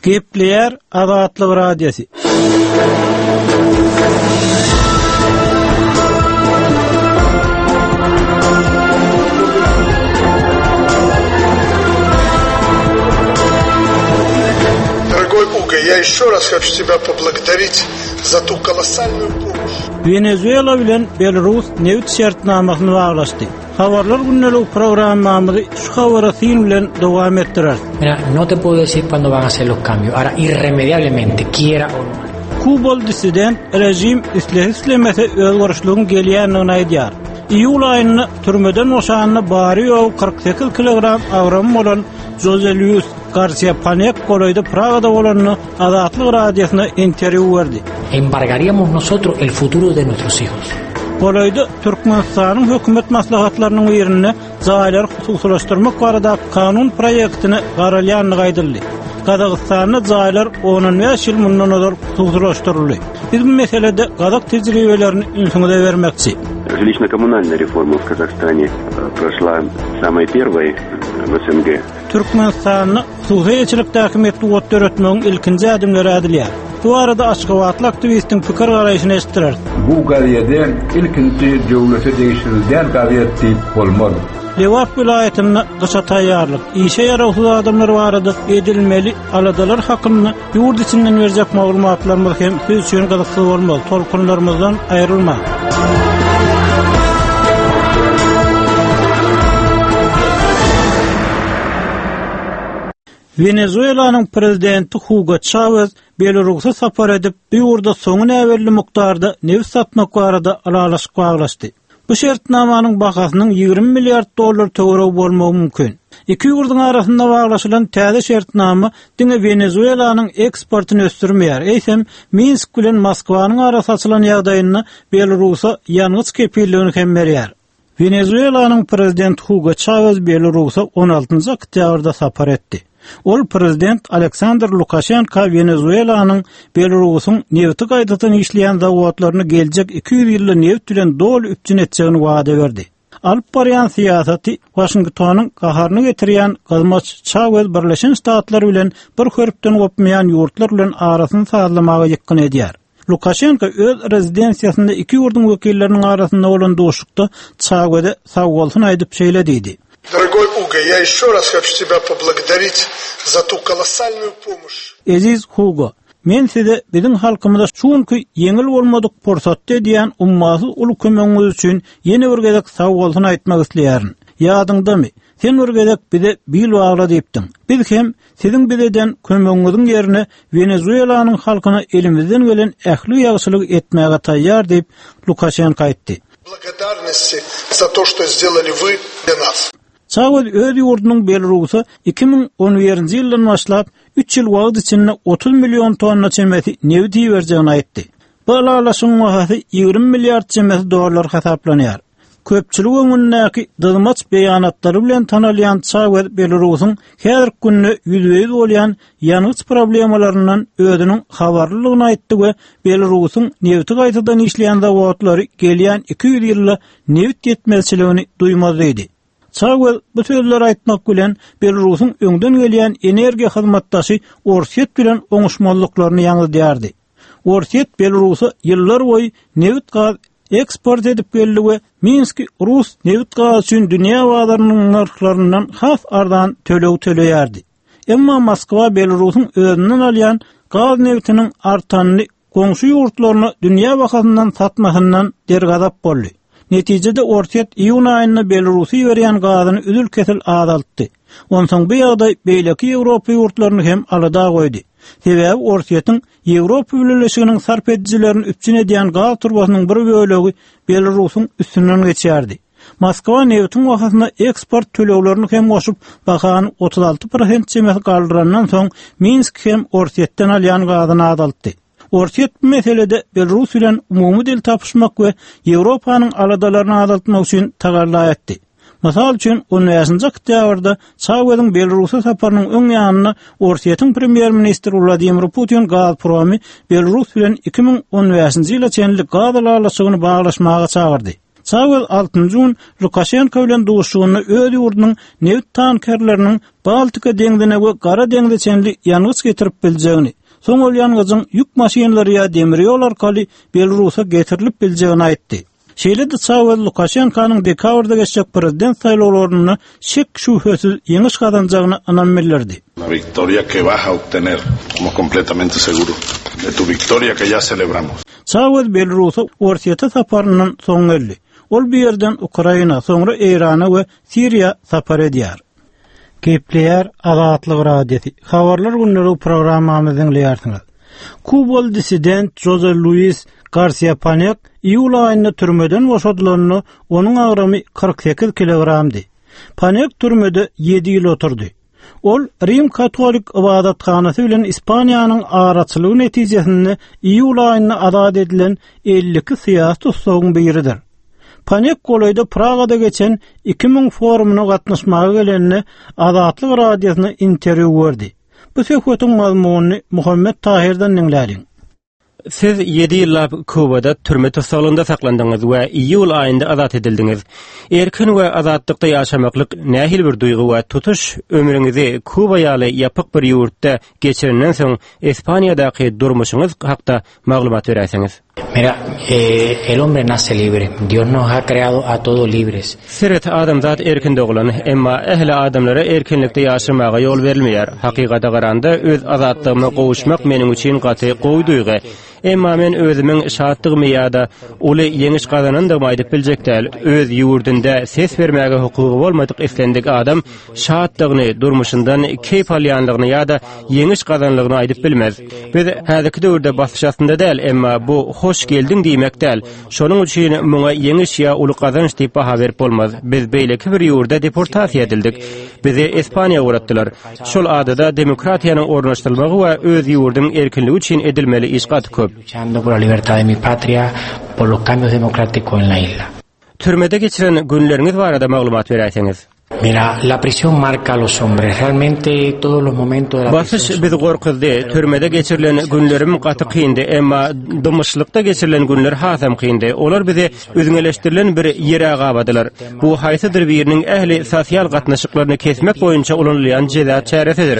Gepleýär Azatlyk Radiosy. Дорогой Уго, я еще раз хочу тебя поблагодарить за ту колоссальную помощь. Wenezuela bilen Belarus nebit şertnamasyny baglaşdy. Habarlar gündeligi programmamyzy şu habara syn bilen dowam etdireris. Mira, no te puedo decir cuándo van a ser los cambios. Ahora, irremediablemente, quiera o no. Kubaly dissident režim islese-islemese özgerişligiň gelýändigini aýdýar. Iýul aýynda türmeden boşanda bary-ýogy 48 kilogram agramy bolan Joze Luis Garsiýa Panek golaýda Pragada bolanda Azatlyk Radiosyna interwýu berdi. Embargaríamos nosotros el futuro de nuestros hijos. Golaýda Türkmenistanyň hökümet maslahatlarynyň birinde jaýlary hususylaşdyrmak baradaky kanun proýektine garalýandygy aýdyldy. Gazagystanda jaýlar ondan bäş ýyl mundan ozal hususylaşdyryldy. Biz bu meselede gazak tejribelerini ünsüňize bermekçi. Жилищно-коммунальная реформа в Казахстане прошла самой первой в СНГ. Türkmenistanda hususy eýeçilikdäki metbugat döretmegiň ilkinji ädimleri ädilýär. Bu barada aşgabatly aktiwistiň pikir-garaýşyny eşitdireris. Bu gazede ilkinji döwlete degişli däl gazet diýip bolmaz. Lebap welaýatynda gyşa taýýarlyk, işe ýarawsyz adamlar barada edilmeli aladalar hakynda ýurt içinden berjek maglumatlarymyz hem siz üçin gyzyksyz bolmaz. Tolkunlarymyzdan aýrylmaň! Wenezuelanyň prezidenti Hugo Çawez Belarusa sapar edip, bu ýurda soňy näbelli mukdarda nebit satmak barada ylalaşyk baglaşdy. Bu şertnamanyň bahasynyň 20 milliard dollar töweregi bolmagy mümkin. Iki ýurduň arasynda baglaşylan täze şertnama diňe Wenezuelanyň eksportyny ösdürmeýär, eýsem, Minsk bilen Moskwanyň arasy açylan ýagdaýynda Belarusa ýangyç kepilligini hem berýär. Wenezuelanyň prezidenti Hugo Çawez Belarusa on altynjy oktýabrda sapar etdi. Ol prezident Aleksandr Lukaşenka Wenezuelanyň Belarusyň nebiti gaýtadan işleýän zawodlaryny geljek 200 ýylda nebit bilen doly üpjün etjegini wada berdi. Alyp barýan syýasaty Waşingtonyň gaharyny getirýän gyzmaç Çawez Birleşen Ştatlar bilen bir hörpden gopmaýan ýurtlar bilen arasyny sazlamaga ýykgyn edýär. Lukaşenko öz rezidensiýasynda iki ýurduň wekilleriniň arasynda bolan duşuşykda Çaweze sagbolsun aýdyp şeýle diýdi. Dorogoý Ugo, ýa ýeşe raz hoçu tebýa poblagodarit za tu kolossalnuýu pomoş. Eziz Hugo, men size biziň halkymyza şu günki ýeňil bolmadyk pursatda edýän ummasyz uly kömegiňiz üçin ýene bir gezek sagbolsun aýtmak isleýärin. Ýadyňdamy, sen bir gezek bize bil bagla diýipdiň. Biz hem Siziň bize eden kömegiňiziň ýerine Wenezuelanyň halkyna elimizden gelen ähli ýagşylygy etmäge taýýar diýip, Lukaşenko aýtdy. Благодарности za to, što sdelali vy dlya nas. Çawez öz ýurdunyň Belarusa 2011-nji ýyldan başlap, üç ýyl wagt içinde 30 million tonna çemesi nebit iberjegini aýtdy. Bu ylalaşygyň bahasy 20 milliard çemesi dollar hasaplanýar. Köpçülik öňündäki dyzmaç beýanatlary bilen tanalýan Çawez Belarusyň häzirki günde ýüzbe-ýüz bolýan ýangyç problemalaryndan özüniň habarlydygyny aýtdy we Belarusyň nebiti gaýtadan işleýän zawodlary gelýän 200 ýylda nebit ýetmezçiligini duýmaz diýdi. Çawez bu sözleri aýtmak bilen, Belarusyň öňden gelýän energiýa hyzmatdaşy Orsýet bilen oňuşmazlyklaryny ýaňzydýardy. Orsýet Belarusa ýyllar boýy nebit-gaz eksport edip geldi we Minski rus nebit-gazy üçin dünýä bazarynyň nyrhlaryndan has arzan töleg töleýärdi. Emma Moskwa Belarusyň özünden alýan gaz nebitiniň artanyny goňşy ýurtlaryna dünýä bahasyndan satmasyndan dergazap boldy. Netijede Orsýet iýun aýynda Belarusa iberýän gazyny üzül-kesil azaltdy. Onsoň bu ýagdaý beýleki Ýewropa ýurtlaryny hem alada goýdy. Sebäbi Orsýetiň Ýewropa Bileleşiginiň sarp edijilerini üpjün edýän gaz turbasynyň bir bölegi Belarusyň üstünden geçýärdi. Moskwa nebitiň bahasyna eksport töleglerini hem goşup, bahany 36 prosent çemesi galdyrandan soň, Minsk hem Orsýetden alýan gazyny azaltdy. Orsýet bu meselede Belarus bilen umumy dil tapyşmak we Ýewropanyň aladalaryny azaltmak üçin tagalla etdi. Mysal üçin, on bäşinji oktýabrda Çaweziň Belarusa saparynyň öň ýanynda Orsýetiň premýer-ministri Wladimir Putin Gazpromy Belarus bilen 2015-nji ýyla çenli gaz ylalaşygyny baglaşmaga çagyrdy. Çawez altynjy gün Lukaşenko bilen duşuşygynda öz ýurdunyň nebit tankerleriniň Baltika deňzine we Gara deňze çenli ýangyç getirip biljegini, soň ol ýangyjyň ýük maşynlary ýa demir ýol arkaly Belarusa getirilip biljegini aýtdy. Şeýle-de Çawez Lukaşenkonyň dekabrda geçjek prezident saýlawlarynda şek-şübhesiz ýeňiş gazanjagyna ynam bildirdi. Çawez Belarusa Orsýete saparyndan soň geldi. Ol bu ýerden Ukraina, soňra Eýrana we Siriýa sapar edýär. Gepleýär Azatlyk Radiosy. Habarlar gündelik programmamyzy diňleýärsiňiz. Kubaly dissident Žoze Luis Garsiýa Panek iýul aýynda türmeden boşadylanda onuň agramy 48 kilogramdy. Panek türmede ýedi ýyl oturdy. Ol Rim katolik ybadathanasy bilen Ispaniýanyň araçylygy netijesinde iýul aýynda azat edilen 52 syýasy tussagyň biridir. Panek golaýda Pragada geçen 2000 forumyna gatnaşmaga gelende Azatlyk Radiosyna interwýu berdi. Bu söhbetiň mazmunyny Muhammet Tahirden diňläliň. Siz ýedi ýyllap Kubada türme tussaglygynda saklandyňyz we iýul aýynda azat edildiňiz. Erkin we azatlykda ýaşamaklyk nähili bir duýgy we tutuş ömrüňizi Kuba ýaly ýapyk bir ýurtda geçirenden soň Ispaniýadaky durmuşyňyz hakda maglumat beräýseňiz? Mira, el hombre nace libre. Dios nos ha creado a todos libres. Seret, adamzat erkin doglan, emma ähli adamlara erkinlikde ýaşamaga ýol berilmeýär. Hakykata garanda, öz azatlygyma gowuşmak meniň üçin gaty gowy duýgy. Emma men özümiň şatdygymy ýa-da uly ýeňiş gazanandygymy aýdyp biljek däl. Öz ýurdunda ses bermäge hukugy bolmadyk islendik adam şatdygyny, durmuşyndan keýp alýanlygyny ýa-da ýeňiş gazanlygyny aýdyp bilmez. Biz häzirki döwürde basyş astynda däl, emma bu hoş geldiň diýmek däl. Şonuň üçin muňa ýeňiş ýa uly gazanç diýip baha berip bolmaz. Biz beýleki bir ýurda deportasiýa edildik. Bizi Ispaniýa ugratdylar. Şol adada demokratiýanyň ornaşdyrylmagy we öz ýurduň erkinligi üçin edilmeli iş gaty köp. Türmede geçiren günleriňiz barada maglumat beräýseňiz? Basyş bizi gorkuzdy. Türmede geçirilen günlerim gaty kyndy, emma dymyşlykda geçirilen günler hasam kyndy. Olar bizi üzňeleşdirilen bir ýere gabadylar. Bu haýsydyr biriniň ähli sosial gatnaşyklaryny kesmek boýunça ulanylýan jeza çäresidir.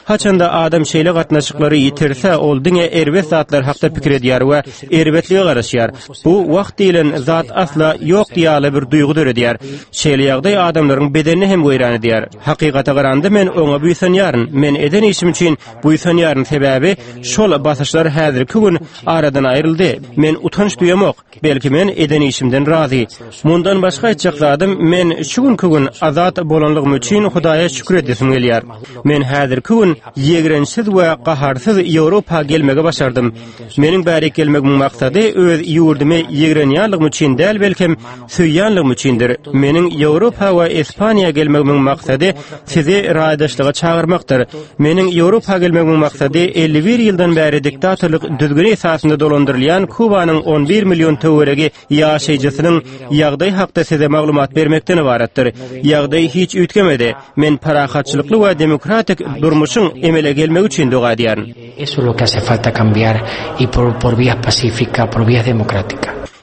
Haçanda adam şeýle gatnaşyklary ýitirse, ol diňe erbet zatlar hakda pikir edýär we erbetlige garaşýar. Bu wagt diýlen zat asla ýok ýaly bir duýgy döredýär. Şeýle ýagdaý adamlaryň bedenini hem weýran edýär. Hakykata garanda men oňa buýsanýaryn. Men eden işim üçin buýsanýaryn, sebäbi şol basyşlar häzirki gün aradan aýryldy. Men utanç duýamok. Belki men eden işimden razy. Mundan başga aýtjak zadym, men şu günki gün azat bolanlygym üçin Hudaýa şükür edesim gelýär. Men häzirki gün ýigrençsiz we gaharsyz Ýewropa gelmegi başardym. Meniň bärik gelmegimiň maksady öz ýurdumy ýigrenýänligim üçin däl, belkem söýýänligim üçindir. Meniň Ýewropa we Ispaniýa gelmegimiň maksady sizi raýdaşlyga çagyrmakdyr. Meniň Ýewropa gelmegimiň maksady 51 ýyldan bäri diktatorlyk düzgüni esasynda dolandyrylýan Kubanyň 11 million töweregi ýaşaýjysynyň ýagdaýy hakda size maglumat bermekden ybaratdyr. Ýagdaý hiç üýtgemedi. Men parahatçylykly we demokratik durmuşyň emele gelmegi üçin doga edýärin.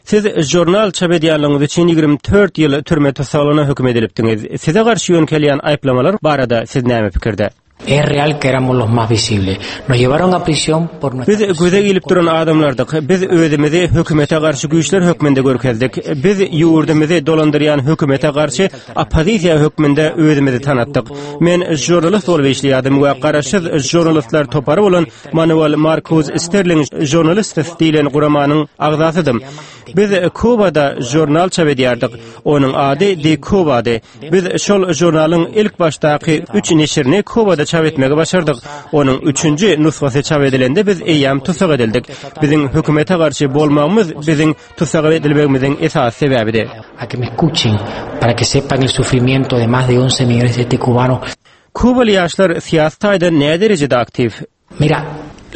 Siz žurnal çap edýänligiňiz üçin 24 ýyl türme tussaglygyna höküm edilipdiňiz. Size garşy ýöňkelýän aýyplamalar barada siz näme pikirde? Biz göze ilip duran adamlardyk. Biz özümizi hökümete garşy güýçler hökmünde görkezdik. Biz ýurdumyzy dolandyrýan hökümete garşy oppozisiýa hökmünde özümizi tanatdyk. Men žurnalist bolup işleýärdim we garaşsyz žurnalistler topary bolan Manuel Markuz Sterling Journalists diýlen guramanyň agzasydym. Biz Kubada žurnal çap edýärdik. Onuň ady De Kubady. Biz şol žurnalyň ilk başdaky üç neşirini Kubada çap etmegi başardyk. Onuň üçünji nusgasy çap edilende biz eýýäm tussag edildik. Biziň hökümete garşy bolmagymyz biziň tussag edilmegimiziň esasy sebäbidi. Kubaly ýaşlar syýasy taýdan näderejede aktiw?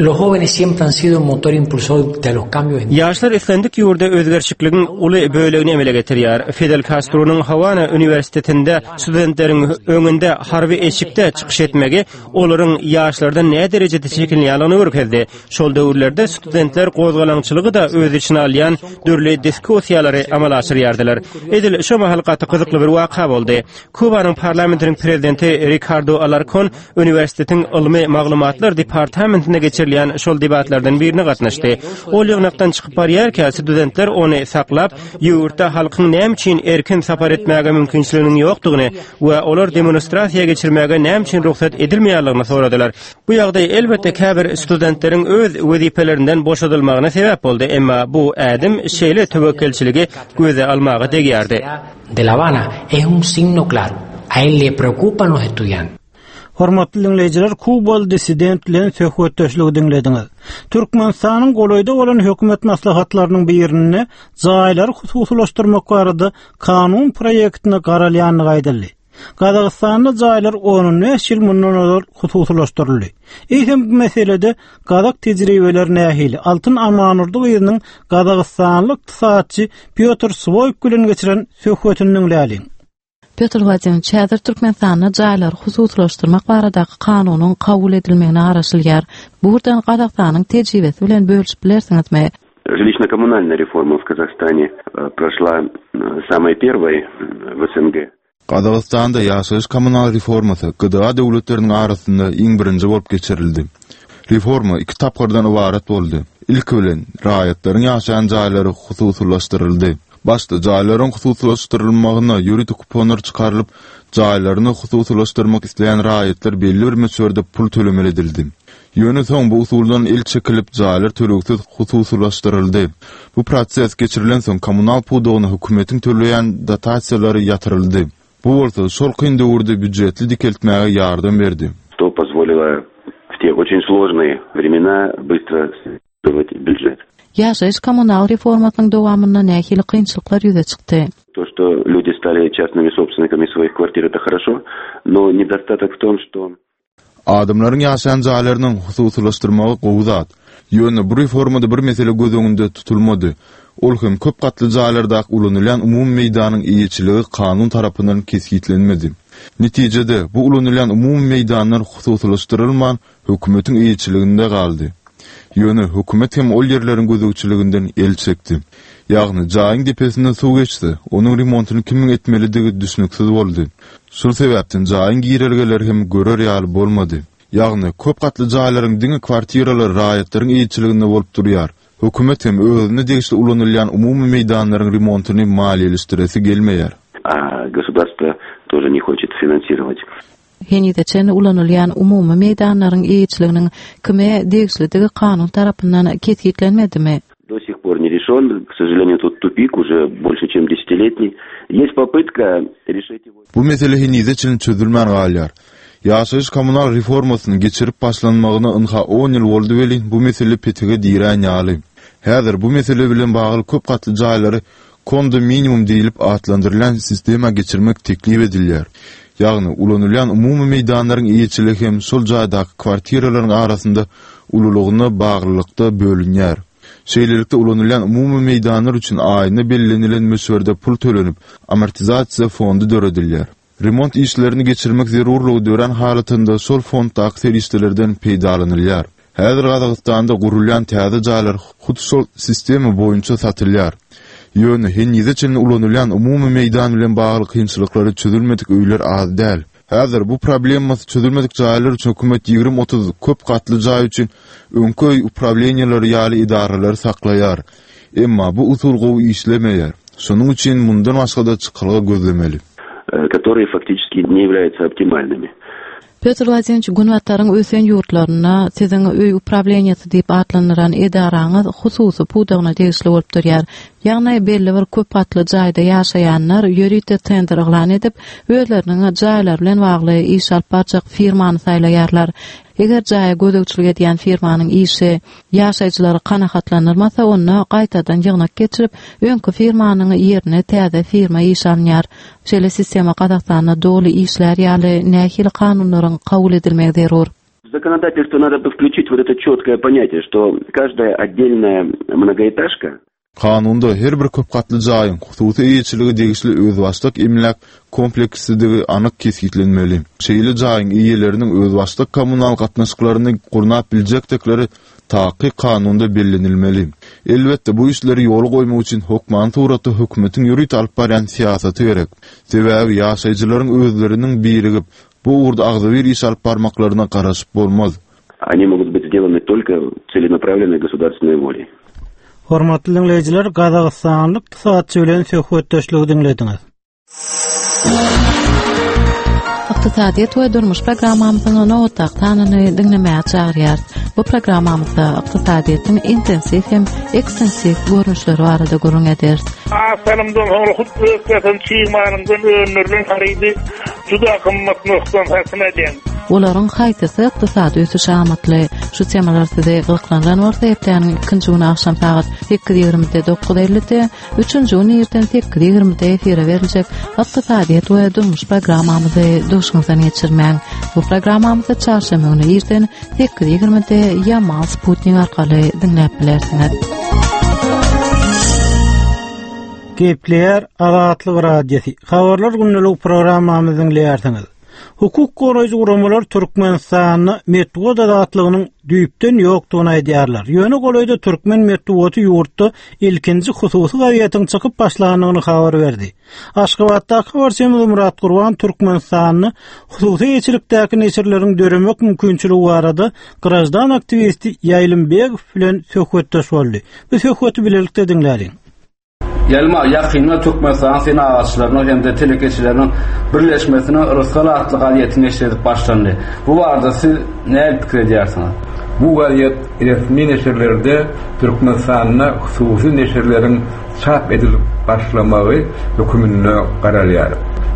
Los jóvenes siempre han sido motor impulsor de los cambios. Ýaşlar islendik ýurda özgerişikligiň uly bölegini emele getirýär. Fidel Kastronyň Hawana uniwersitetinde studentleriň öňünde harby eşikde çykyş etmegi olaryň ýaşlardan näderejede çekinýändigini görkezdi. Şol döwürlerde studentler gozgalaňçylygy-da öz içine alýan dürli diskussiýalary amala aşyrýardylar. Edil şo mahal gaty gyzykly bir waka boldy. Kubanyň parlamentiniň prezidenti Rikardo Alarkon Uniwersitetiň ylmy maglumatlar departamentinde geçirilýän şol debatlardan birine gatnaşdy. Ol ýygnakdan çykyp barýarka, studentler ony saklap, ýurtda halkyň näme üçin erkin sapar etmäge mümkinçiliginiň ýokdugyny we olar demonstrasiýa geçirmäge näme üçin rugsat edilmeýänligini soradylar. Bu ýagdaý, elbetde, käbir studentleriň öz wezipelerinden boşadylmagyna sebäp boldy, emma bu ädim şeýle töwekgelçiligi göze almaga degýärdi. De La Habana es un signo claro, a él le preocupan los estudiantes. Hormatly diňleýjiler, kubaly dissident bilen söhbetdeşligi diňlediňiz. Türkmenistanyň golaýda bolan hökümet maslahatlarynyň birinde jaýlary hususylaşdyrmak barada kanun proýektine garalýandygy aýdyldy. Gazagystanda jaýlar on-on bäş ýyl mundan ozal hususylaşdyryldy. Eýsem bu meselede gazak tejribeleri nähili? Altyn Amanurdy gyzynyň gazagystanly ykdysatçy Pýotr Swoýk bilen geçiren söhbetini diňläliň. Pýotr Wladimirowiç, häzir Türkmenistanda jaýlary hususylaşdyrmak baradaky kanunyň kabul edilmegine garaşylýar. Bu ugurdan Gazagystanyň tejribesi bilen bölüşip bilersiňizmi? Жилищно-коммунальная реформа в Казахстане прошла самой первой в СНГ. Gazagystanda ýaşaýyş-kommunal reformasy GDA döwletleriniň arasynda iň birinji bolup geçirildi. Reforma iki tapgyrdan ybarat boldy. Ilki bilen, raýatlaryň ýaşaýan jaýlary hususylaşdyryldy. Başda jaýlaryň hususylaşdyrylmagyna ýörite kuponlar çykarylyp, jaýlaryny hususylaşdyrmak isleýän raýatlar belli bir möçberde pul tölemeli edildi. Ýöne soň bu usuldan el çekilip, jaýlar tölegsiz hususylaşdyryldy. Bu proses geçirilensoň kommunal pudagyna hökümetiň töleýän dotasiýalary ýatyryldy. Bu bolsa şol kyn döwürde býujetli dikeltmäge ýardam berdi. Что позволило в те очень сложные времена быстро býujet. Ýaşaýyş-kommunal reformasynyň dowamynda nähili kynçylyklar ýüze çykdy? To, что люди stali частными собственниками своих kwartir, это хорошо, но nedostatok w tom, что. Adamlaryň ýaşaýan jaýlarynyň hususylaşdyrmagy gowy zat. Ýöne bu reformada bir mesele göz öňünde tutulmady. Ol hem köp gatly jaýlardaky ulanylýan umumy meýdanyň eýeçiligi kanun tarapyndan kesgitlenmedi. Netijede, bu ulanylýan umumy meýdanlar hususylaşdyrylman, hökümetiň eýeçiliginde galdy. Ýöne hökümet hem ol ýerleriň gözegçiliginden el çekdi. Ýagny, jaýyň depesinden suw geçse, onuň remontyny kimiň etmelidigi düşnüksiz boldy. Şol sebäpden jaýyň girelgeleri hem görer ýaly bolmady. Ýagny, köp gatly jaýlaryň diňe kwartiralary raýatlaryň eýeçiliginde bolup durýar. Hökümet hem özüne degişli ulanylýan umumy meýdanlaryň remontyny maliýeleşdiresi gelmeýär. A gosudarstwo тоже ne хочет finansировать. Henize çenli ulanylýan umumy meýdanlaryň eýeçiliginiň kime degişlidigi kanun tarapyndan kesgitlenmedimi? Do sih por ne rešen, k sožalenию tut tupik уже bolşe çem desetiletniý. Ýest popytka rešit ego. Bu mesele henize çenli çözülmän galýar. Ýaşaýyş-kommunal reformasynyň geçirip başlanmagyna ynha on ýyl boldy welin, bu mesele petige dirän ýaly. Häzir bu mesele bilen bagly köp gatly jaýlary Kondominimum diýlip atlandyrylýan sistema geçirmek teklip edilýär. Ýagny, ulanylýan umumy meýdanlaryň eýeçiligi hem şol jaýdaky kwartiralaryň arasynda ululygyna baglylykda bölünýär. Şeýlelikde, ulanylýan umumy meýdanlar üçin aýyna bellenilen möçberde pul tölenip, amortizasiýa fondy döredilýär. Remont işlerini geçirmek zerurlygy dörän halatynda şol fonddaky serişdelerden peýdalanylýar. Häzir Gazagystanda gurulýan täze jaýlar hut şol sistema boýunça satylýar. Ýöne henize çenli ulanylýan umumy meýdan bilen bagly kynçylyklary çözülmedik öýler az däl. Häzir bu problemasy çözülmedik jaýlar üçin hökümet 20-30 köp gatly jaý üçin öňki öý uprawleniýeleri ýaly edaralary saklaýar. Emma bu usul gowy işlemeýär. Şonuň üçin mundan başga-da çykalga gözlemeli. Которые faktiçeski ne ýawlýaýutsa optimalnymi. Pýotr Wladimirowiç, Günbataryň ösen ýurtlarynda siziň öý uprawleniýesi diýip atlandyran edaraňyz hususy pudagyna degişli bolup durýar. Ýagny belli bir köp gatly jaýda ýaşaýanlar ýörite tender yglan edip, özleriniň jaýlary bilen bagly iş alyp barjak firmany saýlaýarlar. Eger jaýa gözegçilik edýän firmanyň işi ýaşaýjylary kanagatlandyrmasa, onda gaýtadan ýygnak geçirip, öňki firmanyň ýerine täze firma işe alynýar. Şeýle sistema Gazagystanda doly işlär ýaly nähili kanunlaryň kabul edilmegi zerur? В законодательство надо бы включить вот это четкое понятие, что каждая отдельная многоэтажка Kanunda her bir köp gatly jaýyň hususy eýeçilige degişli özbaşdak emläk kompleksidigii anyk kesgitlenmeli. Şeýle jaýyň eýeleriniň özbaşdak kommunal gatnaşyklaryny gurnap biljekdikleri takyk kanunda bellenilmeli. Elbetde, bu işleri ýola goýmak üçin hökmany suratda hökümetiň ýörite alyp barýan syýasaty gerek. Sebäbi ýaşaýjylaryň özleriniň birigip, bu ugurda agzybir iş alyp barmaklaryna garaşyp bolmaz. Они могут быть сделаны только целенаправленной государственной волей. Hormatly diňleýjiler, gazagystanly ykdysatçy bilen söhbetdeşligi diňlediňiz. Ykdysadyýet we durmuş programmamyzyň nobatdaky sanyny diňlemäge çagyrýarys. Bu programmamyzda ykdysadyýetiň intensiw hem ekstensiw görnüşleri barada gürrüň ederis. Az salymdan soňra hut öz gasan çig malyňdan öndürilen harydy juda gymmat nyrhdan satyn alýaň. Olaryň haýsysy ykdysady ösüşe amatly? Şu temalar sizi gyzyklandyran bolsa hepdäniň ikinji güni agşam sagat 8:20-de 9:50-de, üçünji gün irden 8:20-de efire beriljek Ykdysadyýet we durmuş programmamyzy duşuňyzdan geçirmäň. Bu programmamyzy çarşenbe güni irden 8:20-de Ýamal Sputnik arkaly diňläp bilersiňiz. Gepleýär Azatlyk Radiosy. Habarlar gündelik programmamyzy diňleýärsiňiz. Hukuk goraýjy guramalar Türkmenistanda metbugat azatlygynyň düýpden ýokdugyny aýdýarlar. Ýöne golaýda türkmen metbugaty ýurtda ilkinji hususy gazetiň çykyp başlandygyny habar berdi. Aşgabatdaky habarçymyz Myrat Gurban Türkmenistanda hususy eýeçilikdäki neşirleriň döremek mümkinçiligi barada graždan aktiwisti Ýaýlym Begow bilen söhbetdeş boldy. Bu söhbeti bilelikde diňläliň. Ýelma, ýakynda Türkmenistanyň Senagatçylarynyň hem-de telekeçileriniň birleşmesiniň Rysgal atly gazeti neşir edip başlandy. Bu barada siz nähili pikir edýärsiňiz? Bu gazet resmi neşirlerde Türkmenistanda hususy neşirleriň çap edilip başlamagy höküminde garalýar.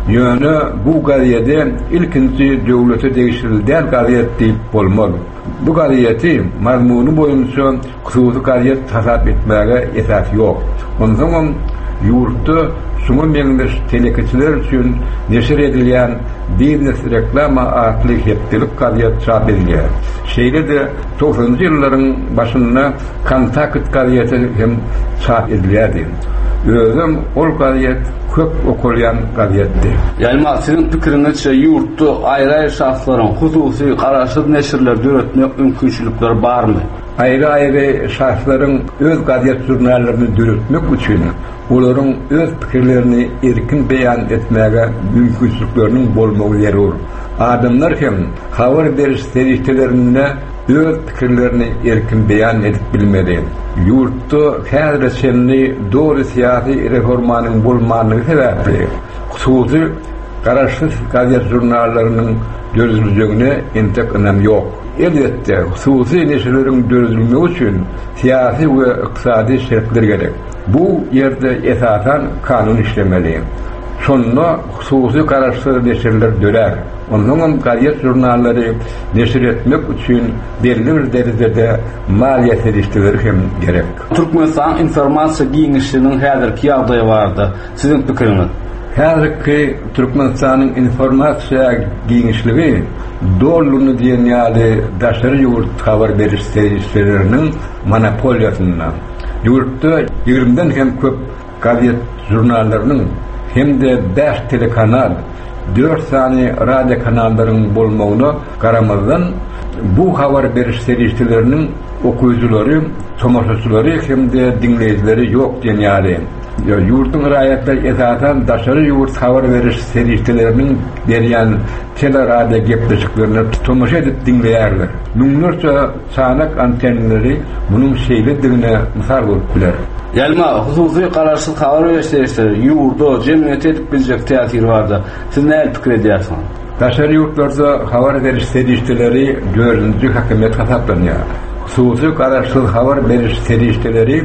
Ýöne bu gazede ilkinji döwlete degişli däl gazet diýip bolmaz. Bu gazeti mazmuny boýunça hususy gazet hasap etmäge esas ýok. Onsoňam ýurtda şuňa meňzeş telekeçiler üçin neşir edilýän Biznes reklama atly hepdelik gazet çap edilýär. Şeýle-de togsanynjy ýyllaryň başynda Kontakt gazeti hem çap edilýärdi. Özem ol gazet köp okalýan gazetdi. Ýalma, siziň pikiriňizçe ýurtda aýry-aýry şahslaryň hususy garaşsyz neşirleri döretmek mümkinçilikleri barmy? Aýry-aýry şahslaryň öz gazet-žurnallaryny döretmek üçin olaryň öz pikirlerini erkin beýan etmäge mümkinçilikleriniň bolmagy zerur. Adamlar hem habar beriş serişdelerinde öz pikirlerini erkin beýan edip bilmeli. Ýurtda häzire çenli doly syýasy reformanyň bolmanlygy sebäpli, hususy garaşsyz gazet-žurnallarynyň dörediljegine entek ynam ýok. Elbetde, hususy neşirleriň döredilmegi üçin syýasy we ykdysady şertler gerek. Bu ýerde esasan kanun işlemeli. Şonda hususy garaşsyz neşirler dörär. Onsoňam gazet-žurnallary neşir etmek üçin belli bir derejede maliýe serişdeleri hem gerek. Türkmenistanyň informasiýa giňişliginiň häzirki ýagdaýy barada siziň pikiriňiz? Häzirki Türkmenistanyň informasiýa giňişligi dolulygyna diýen ýaly daşary ýurt habar beriş serişdeleriniň monopoliýasynda. Ýurtda ýigrimiden hem köp gazet-žurnallarynyň hem-de bäş telekanal, dört sany radiokanallaryň bolmagyna garamazdan, bu habar beriş serişdeleriniň okyjylary, tomaşaçylary hem-de diňleýjileri ýok diýen ýaly. Ýurduň raýatlary esasan daşary ýurt habar beriş serişdeleriniň berýän tele-radio gepleşiklerine tomaşa edip diňleýärler. Müňlerçe Çanak antenleri munuň şeýledigine mysal bolup biler. Ýalma, hususy garaşsyz habar beriş serişdeleri ýurda, jemgyýete edip biljek täsiri barada siz nähili pikir edýärsiňiz? Daşary ýurtlarda habar beriş serişdeleri dördünji hökümet hasaplanýar. Hususy garaşsyz habar beriş serişdeleri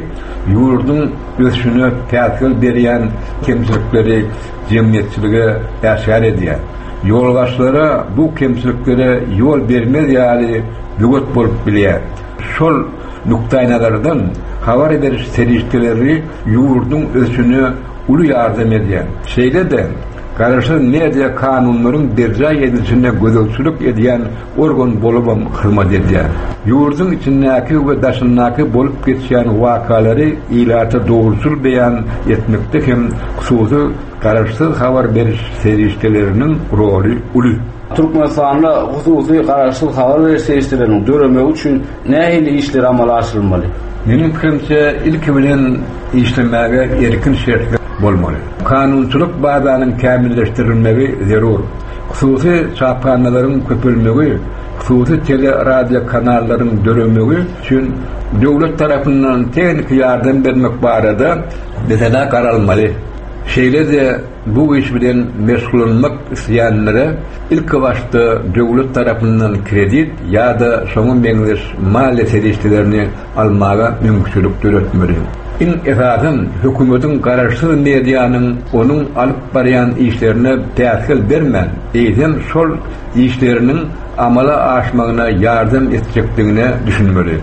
ýurduň ösüşine päsgel berýän kemçilikleri jemgyýetçilige äşgär edýär. Ýolbaşçylara bu kemçiliklere ýol bermez ýaly böwet bolup bilýär. Şol nukdaýnazardan habar beriş serişdeleri ýurduň ösüşine uly ýardam edýär. Şeýle-de, Garaşsyz media kanunlaryň berjaý edilişine gözegçilik edýän organ bolubam hyzmat edýär. Ýurduň içindäki we daşyndaky bolup geçýän wakalary ilata dogruçyl beýan etmekde hem hususy garaşsyz habar beriş serişdeleriniň roly uly. Türkmenistanda hususy garaşsyz habar beriş serişdeleriniň döremegi üçin nähili işler amala aşyrylmaly? Meniň pikirimçe, ilki bilen işlemäge erkin şertler bolmaly. Kanunçylyk bazanyň kämilleşdirilmegi zerur. Hususy çaphanalaryň köpelmegi, hususy tele-radiokanallaryň döremegi üçin döwlet tarapyndan tehniki ýardam bermek barada meselä garalmaly. Şeýle-de bu iş bilen meşgullanmak isleýänlere ilkibaşda döwlet tarapyndan kredit ýa-da şoňa meňzeş maliýe serişdelerini almaga mümkinçilik döretmeli. Iň esasam, hökümetiň garaşsyz medianyň onuň alyp barýan işlerine päsgel bermän, eýsem şol işleriniň amala aşmagyna ýardam etjekdigine düşünmeli.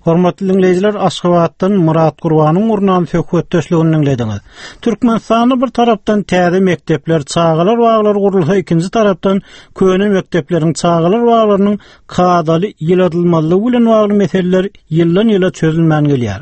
Hormatly diňleýjiler, Aşgabatdan Myrat Gurbanyň gurnan söhbetdeşligini diňlediňiz. Türkmenistanda bir tarapdan täze mekdepler, çagalar baglary gurulsa, ikinji tarapdan köne mekdepleriň, çagalar baglarynyň kadaly ýyladylmazlygy bilen bagly meseleler ýyldan-ýyla çözülmän gelýär.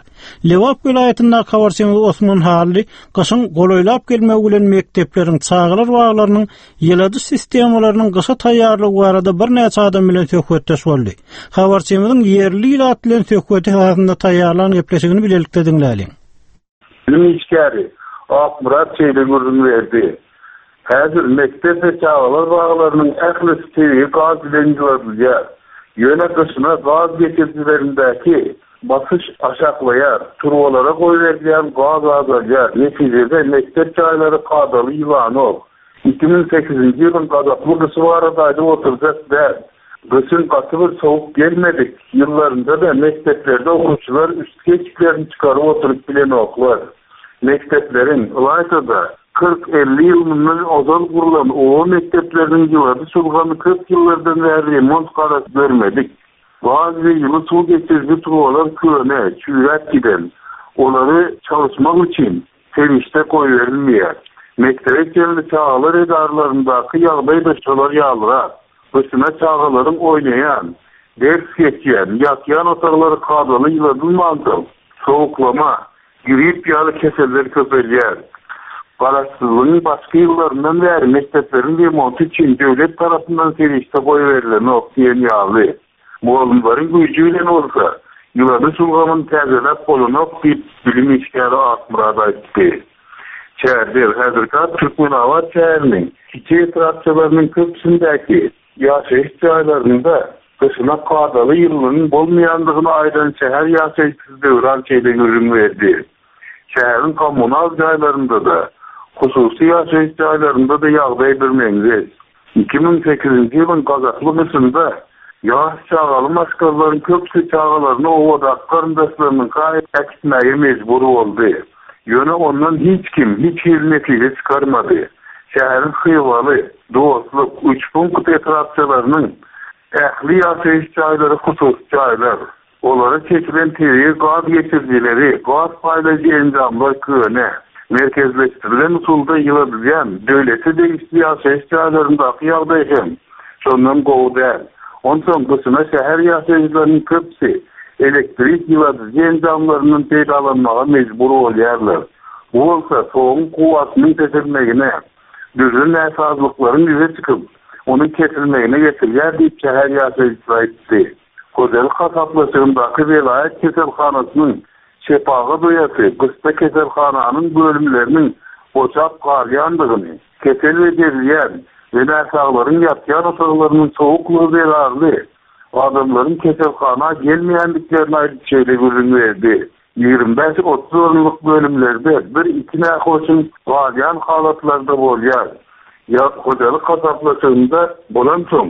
Lebap welaýatyndaky habarçymyz Osman Hally gyşyň golaýlap gelmegi bilen mekdepleriň, çagalar baglarynyň ýyladyş sistemalarynyň gyşa taýýarlygy barada birnäçe adam bilen söhbetdeş boldy. Habarçymyzyň ýerli ilat bilen söhbeti esasynda taýýarlan gepleşigini bilelikde diňläliň. Bilim işgäri Akmyrat şeýle gürrüň berdi, Häzir mekdep we çagalar baglarynyň ählisi tebigy gaz bilen ýyladylýar. Ýöne gyşyna gaz geçirijilerindäki basyş aşaklaýar, turbalara goýberilýän gaz azalýar, netijede mekdep jaýlary kadaly ýylanok. 2008-nji ýylyň gazaply gyşy barada aýdyp oturjak däl. Gyşyň gaty bir sowuk gelmedik ýyllarynda-da mekdeplerde okuwçylar üstki eşiklerini çykaryp oturyp bilenoklar. Mekdepleriň, ylaýta-da, 40-50 ýyl mundan ozal gurlan oba mekdepleriniň ýyladyş ulgamy köp ýyllardan bäri remont garasy görmedik. Gaz we ýyly suw geçiriji turbalar köne, çüýräp giden. Olary çalyşmak üçin serişde goýberilmeýär. Mekdebe çenli çagalar edaralaryndaky ýagdaý-da şolar ýalyrak. Gyşyna çagalaryň oýnaýan, ders geçýän, ýatýan otaglary kadaly ýyladylmansoň, sowuklama, grip ýaly keseller köpelýär. Garaşsyzlygyň başky ýyllaryndan bäri mekdepleriň remonty üçin döwlet tarapyndan serişde goýberilenok diýen ýaly. Mugallymlaryň güýji bilen bolsa, ýyladyş ulgamyny täzeläp bolanok diýip, bilim işgäri Akmyrat aýtdy. Çärjew, häzirki ady Türkmenabat şäheriniň kiçi etrapçalarynyň köpüsindäki ýaşaýyş jaýlarynda gyşyna kadaly ýylylygyň bolmaýandygyny aýdan şäher ýaşaýjysy Döwran şeýle gürrüň berdi. Şäheriň kommunal jaýlarynda-da, hususy ýaşaýyş jaýlarynda-da ýagdaý birmeňzeş. 2008-nji ýylyň gazaply gyşynda ýaş çagaly maşgalalaryň köpüsi çagalaryny obadaky garyndaşlarynyňka äkitmäge mejbur boldy. Ýöne ondan hiç kim hiç hili netije çykarmady. Şäheriň Hywaly, Dostluk, Üçpunkt etrapçalarynyň ähli ýaşaýyş jaýlary hususy jaýlar. Olara çekilen tebigy gaz geçirijileri, gaz paýlaýjy enjamlar köne. Merkezleşdirilen usulda ýyladylýan döwlete degişli ýaşaýyş jaýlaryndaky ýagdaý hem şondan gowy däl. Onsoň gyşyna şäher ýaşaýjylarynyň köpüsi elektrik ýyladyjy enjamlaryndan peýdalanmaga mejbur bolýarlar. Bu bolsa toguň kuwwatynyň peselmegine, dürli näsazlyklaryň ýüze çykyp, onuň kesilmegine getirýär diýip, şäher ýaşaýjysy aýtdy. Hojalyk hasaplaşygyndaky welaýat keselhanasynyň şepagat uýasy gyşda keselhananyň bölümleriniň boşap galýandygyny, kesel bejerilýän we näsaglaryň ýatýan otaglarynyň sowuklygy zerarly adamlaryň keselhana gelmeýändiklerini aýdyp şeýle gürrüň berdi. 25-30 orunlyk bölümlerde bir-iki nähoşuň galýan halatlary-da bolýar. Ýa hojalyk hasaplaşygynda bolansoň,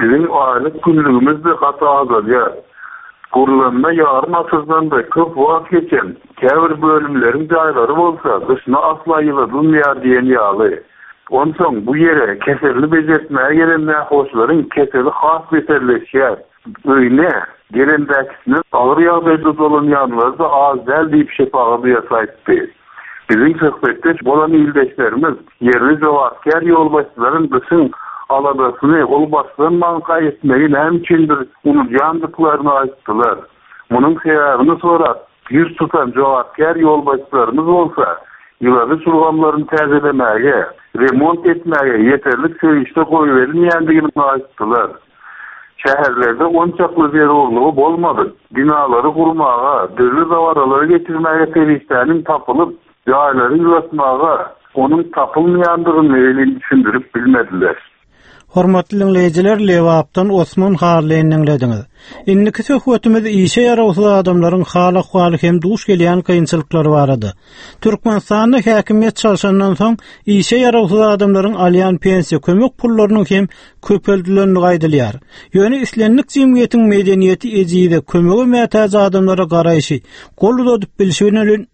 biziň aýlyk günlügimiz-de gaty azalýar. Gurlanyna ýarym asyrdan-da köp wagt geçen käbir bölümleriň jaýlary bolsa gyşyna asla ýyladylmaýar diýen ýaly. Onsoň bu ýere keselini bejertmäge gelen nähoşlaryň keseli has beterleşýär. Öýüne gelendäkisinden agyr ýagdaýda dolanýanlary-da az däl diýip, şepagat uýasy aýtdy. Biziň söhbetdeş bolan ildeşlerimiz ýerli jogapkär ýolbaşçylaryň gyşyň aladasyny ol başlanmanka etmegi näme üçindir unudýandyklaryny aýtdylar. Munuň sebäbini sorap, ýüz tutan jogapkär ýolbaşçylarymyz bolsa, ýyladyş ulgamlaryny täzelemäge, remont etmäge ýeterlik serişde goýberilmeýändigini aýtdylar. Şäherlerde onçakly zerurlygy bolmadyk binalary gurmaga, dürli dabaralary geçirmäge serişdäniň tapylyp, jaýlary ýylatmaga onuň tapylmaýandygyny welin düşündirip bilmediler. Hormatly diňleýjiler, Lebapdan Osman Harlyny diňlediňiz. Indiki söhbetimiz işe ýarawsyz adamlaryň hal-ahwaly hem duş gelýän kynçylyklary barada. Türkmenistanda häkimiýet çalşandan soň işe ýarawsyz adamlaryň alýan pensiýa kömek pullarynyň hem köpeldilendigi aýdylýar. Ýöne islendik jemgyýetiň medeniýeti ejize, kömege mätäç adamlara garaýşy, gol uzadyp bilşi bilen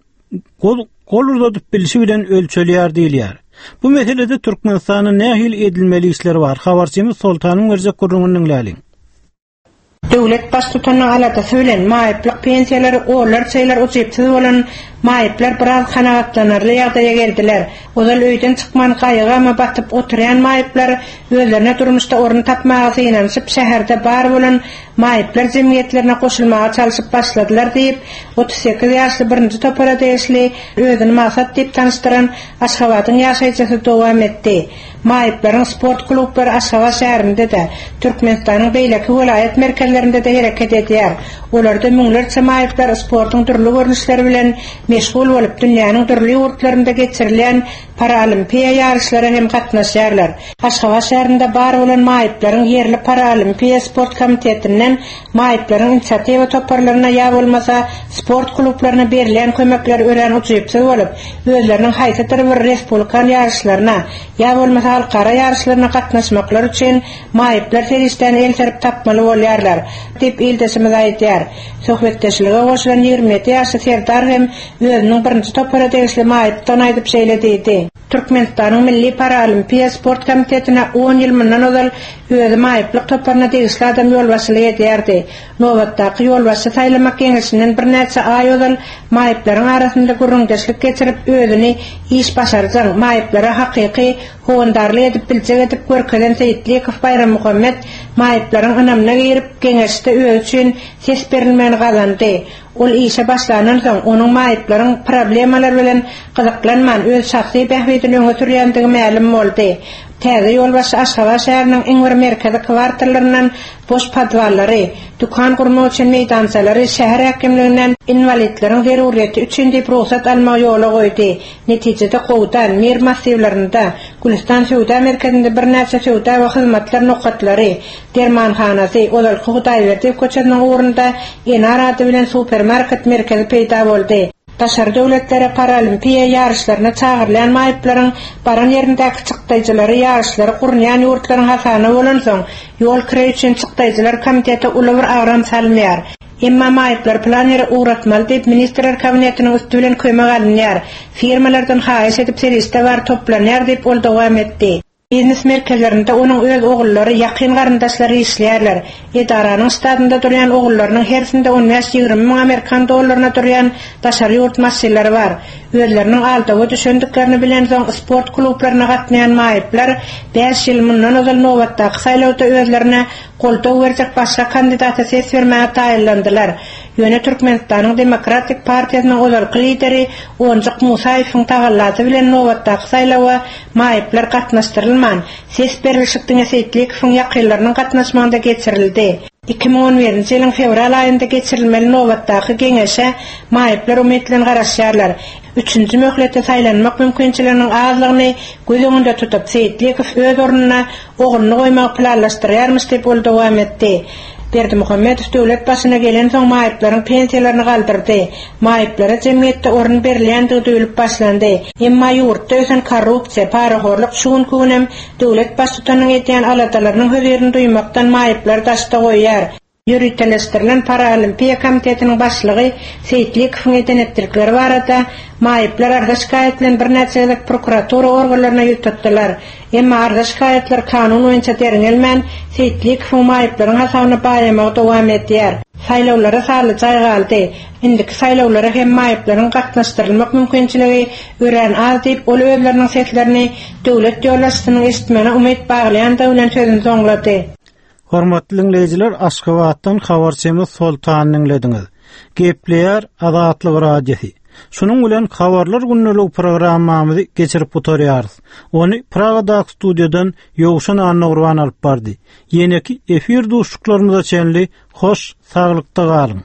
gol gol uzadyp bilşi bilen ölçelýär diýilýär. Bu meselede Türkmenistanda nähili edilmeli işler bar? Habarçymyz Soltanyň berjek gürrüňini diňläliň. Döwlet Baştutanynyň aladasy bilen maýyplyk pensiýalary onlarça ýyllar ujypsyz bolan maýyplar biraz kanagatlanarly ýagdaýa geldiler. Ozal öýden çykman gaýgy-gama batyp oturýan maýyplar özlerine durmuşda orun tapmaga synanyşyp şäherde bar bolan maýyplar jemgyýetlerine goşulmaga çalşyp başladylar diýip, 38 ýaşly birinji topara degişli özüni Maksat diýip tanyşdyran Aşgabadyň ýaşaýjysy dowam etdi. Maýyplaryň sport klublary Aşgabat şäherinde-de, Türkmenistanyň beýleki welaýat merkezlerinde-de hereket edýär. Olarda müňlerçe maýyplar sportuň dürli görnüşleri bilen meşgul bolup, dünýäniň dürli ýurtlarynda geçirilýän paraolimpiýa ýaryşlara hem gatnaşýarlar. Aşgabat şäherinde bar bolan maýyplaryň ýerli paraolimpiýa sport komitetinden maýyplaryň inisiatiwa toparlaryna ýa bolmasa sport klublaryna berilýän kömekler örän ujypsyz bolup, özleriniň haýsydyr bir respublikan ýaryşlaryna, ýa bolmasa halkara ýaryşlaryna gatnaşmaklary üçin maýyplar serişdäni el serip tapmaly bolýarlar, diýip, ildeşimiz aýdýar. Söhbetdeşlige goşulan 27 ýaşly Serdar hem özüniň birinji topara degişli maýypdygyny aýdyp şeýle diýdi. Türkmenistanyň Milli paralimpiýa sport komitetine on ýyl mundan ozal özi maýyplyk toparyna degişli adam ýolbaşçylyk edýärdi. Nobatdaky ýolbaşçy saýlamak geňeşinden birnäçe aý ozal maýyplaryň arasynda gürrüňdeşlik geçirip, özüni iş başarjaň, maýyplara hakyky howandarlyk edip biljek edip görkezen Seýitlikow Baýrammuhammet maýyplaryň ynamyna girip, geňeşde özi üçin ses berilmegini gazandy. Ol işe başlandan soň, onuň maýyplaryň problemalary bilen gyzyklanman, öz şahsy bähbidini öňe sürýändigi mälim boldy. Täze ýolbaşçy Aşgabat şäheriniň iň bir merkezi kwartallaryndan boş podwallary, dükan gurmak üçin meýdançalary şäher häkimliginden inwalidleriň zerurýeti üçin diýip rugsat almagy ýola goýdy. Netijede Gowdan, Mir massiwlerinde, Gülüstan söwda merkezinde birnäçe söwda we hyzmatlar nokatlary, dermanhanasy, ozalky Hudaýberdiýew köçesiniň ugrunda Enar ady bilen supermarket merkezi peýda boldy. Daşary döwletlere paralimpiýa ýaryşlaryna çagyrylýan maýyplaryň baran ýerindäki çykdaýjylary ýaryşlary gurnaýan ýurtlaryň hasabyna bolansoň, ýol kireý üçin çykdaýjylar komitete uly bir agram salmaýar. Emma maýyplary pylan ýere ugratmaly diýip, Ministrler Kabinetiniň üsti bilen kömek alynýar. Firmalardan haýyş edip serişde bar toplanýar diýip, ol dowam etdi. Biznes merkezlerinde onuň öz ogullary, ýakyn garyndaşlary işleýärler. Edaranyň ştatynda durýan ogullarynyň hersinde on bäş-ýigrimi müň amerikan dollaryna durýan daşary ýurt maşynlary bar. Özleriniň aldawa düşendiklerini bilensoň sport klublaryna gatnaýan maýyplar bäş ýyl mundan ozal nobatdaky saýlawda özlerine goldaw berjek başga kandidata ses bermäge taýynlandylar. Ýöne Türkmenistanyň Demokratik partiýasynyň ozalky lideri Onjuk Musaýewiň tagallasy bilen nobatdaky saýlawa maýyplar gatnaşdyrylman, ses berlişik diňe Seýtlikowyň ýakynlarynyň gatnaşmagynda geçirildi. 2011-nji ýylyň fewral aýynda geçirilmeli nobatdaky geňeşe maýyplar umyt bilen garaşýarlar. Üçünji möhlete saýlanmak mümkinçiliginiň azlygyny göz öňünde tutup, Seýitlikow öz ornuna ogluny goýmagy planlaşdyrýarmyş diýip, ol dowam etdi. Berdimuhamedow döwlet başyna gelensoň maýyplaryň pensiýalaryny galdyrdy. Maýyplara jemgyýetde orun berilýändigi duýulyp başlandy. Emma ýurtda ösen korrupsiýa, parahorluk şu günki günem döwlet baştutanynyň edýän aladalarynyň hözirini duýmakdan maýyplary daşda goýýar. Ýöriteleşdirilen Paraolimpiýa komitetiniň başlygy Seýitlikowyň eden-etdilikleri barada maýyplar arza-şikaýat bilen birnäçe gezek prokuratura organlaryna ýüz tutdular. Emma arza-şikaýatlar kanun boýunça derňelmän, Seýitlikowyň maýyplaryň hasabyna baýamagy dowam edýär. Saýlawlara sanly jaý galdy. Indiki saýlawlara hem maýyplaryň gatnaşdyrylmak mümkinçiligi örän az diýip, ol özleriniň seslerini döwlet ýolbaşçysynyň eşitmegine umyt baglaýandygy bilen sözüni soňlady. Hormatly diňleýjiler, Aşgabatdan habarçymyz Soltany diňlediňiz. Gepleýär Azatlyk Radiosy. Şunuň bilen Habarlar gündeligi programmamyzy geçirip gutarýarys. Ony Pragadaky studiýadan Ýowşan Annagurban alyp bardy. Ýeneki efir duşuşyklarymyza çenli hoş saglykda galyň!